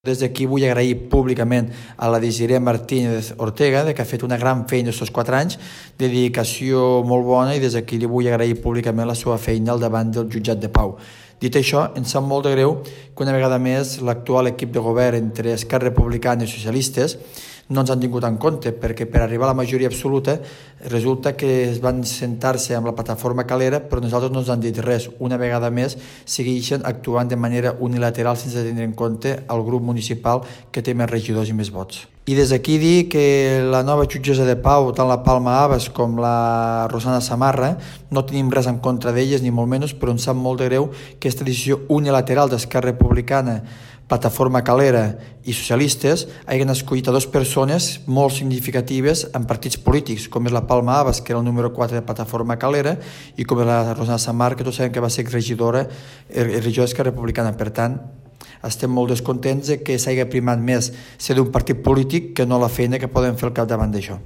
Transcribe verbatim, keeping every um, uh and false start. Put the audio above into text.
Des d'aquí vull agrair públicament a la Desiree Martínez Ortega que ha fet una gran feina aquests quatre anys, de dedicació molt bona, i des d'aquí li vull agrair públicament la seva feina al davant del jutjat de pau. Dit això, em sap molt de greu que una vegada més l'actual equip de govern entre Esquerra Republicana i Socialistes no ens han tingut en compte, perquè per arribar a la majoria absoluta resulta que es van sentar-se amb la plataforma Calera, però nosaltres no ens han dit res. Una vegada més segueixen actuant de manera unilateral sense tenir en compte el grup municipal que té més regidors i més vots. I des d'aquí dir que la nova jutgessa de pau, tant la Palma Abas com la Rosana Samarra, no tenim res en contra d'elles, ni molt menys, però ens sap molt de greu que aquesta decisió unilateral d'Esquerra Republicana, Plataforma Calera i Socialistes hagin escollit a dues persones molt significatives en partits polítics, com és la Palma Abas, que era el número quatre de Plataforma Calera, i com és la Rosana Samarra, que tots sabem que va ser regidora, regidora d'Esquerra Republicana. Per tant, estem molt descontents de que s'hagi primat més ser d'un partit polític que no la feina que poden fer al capdavant d'això.